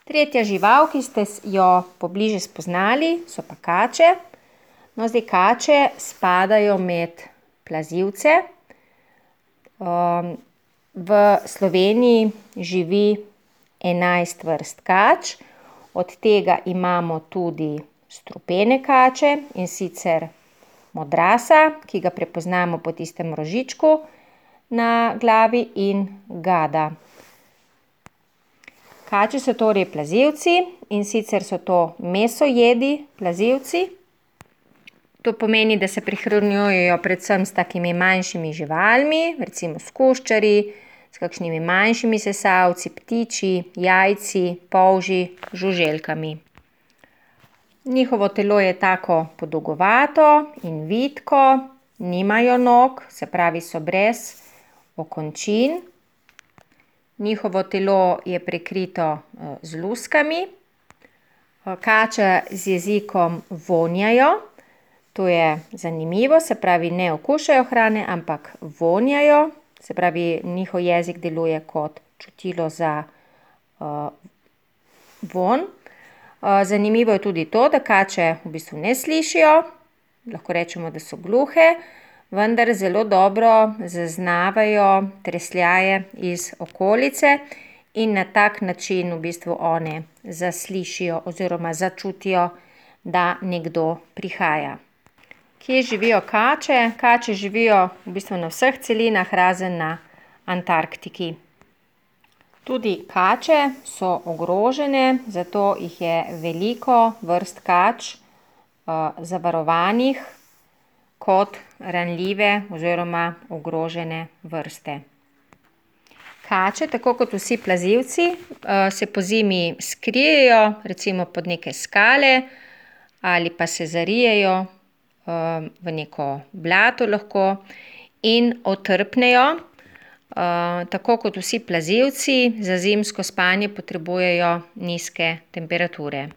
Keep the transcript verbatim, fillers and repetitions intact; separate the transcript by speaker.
Speaker 1: Tretja žival, ki ste jo pobliže spoznali, so pa kače. No, zdaj kače spadajo med plazilce. V Sloveniji živi enajst vrst kač, od tega imamo tudi strupene kače, in sicer modrasa, ki ga prepoznamo po tistem rožičku na glavi, in gada. Kače so torej plazilci, in sicer so to mesojedi plazilci. To pomeni, da se prehranjujejo predvsem s takimi manjšimi živalmi, recimo s kuščarji, s kakšnimi manjšimi sesalci, ptiči, jajci, polži, žuželkami. Njihovo telo je tako podolgovato in vitko, nimajo nog, se pravi, so brez okončin. Njihovo telo je prekrito z luskami. Kače z jezikom vonjajo. To je zanimivo, se pravi, ne okušajo hrane, ampak vonjajo. Se pravi, njihov jezik deluje kot čutilo za uh, vonj. Uh, zanimivo je tudi to, da kače v bistvu ne slišijo. Lahko rečemo, da so gluhe, vendar zelo dobro zaznavajo tresljaje iz okolice in na tak način v bistvu one zaslišijo oziroma začutijo, da nekdo prihaja. Kje živijo kače? Kače živijo v bistvu na vseh celinah, razen na Antarktiki. Tudi kače so ogrožene, zato jih je veliko vrst kač uh, zavarovanih kot ranljive oziroma ogrožene vrste. Kače, tako kot vsi plazilci, se pozimi skrijejo, recimo pod neke skale, ali pa se zarijejo v neko blato lahko in otrpnejo. Tako kot vsi plazilci, za zimsko spanje potrebujejo nizke temperature.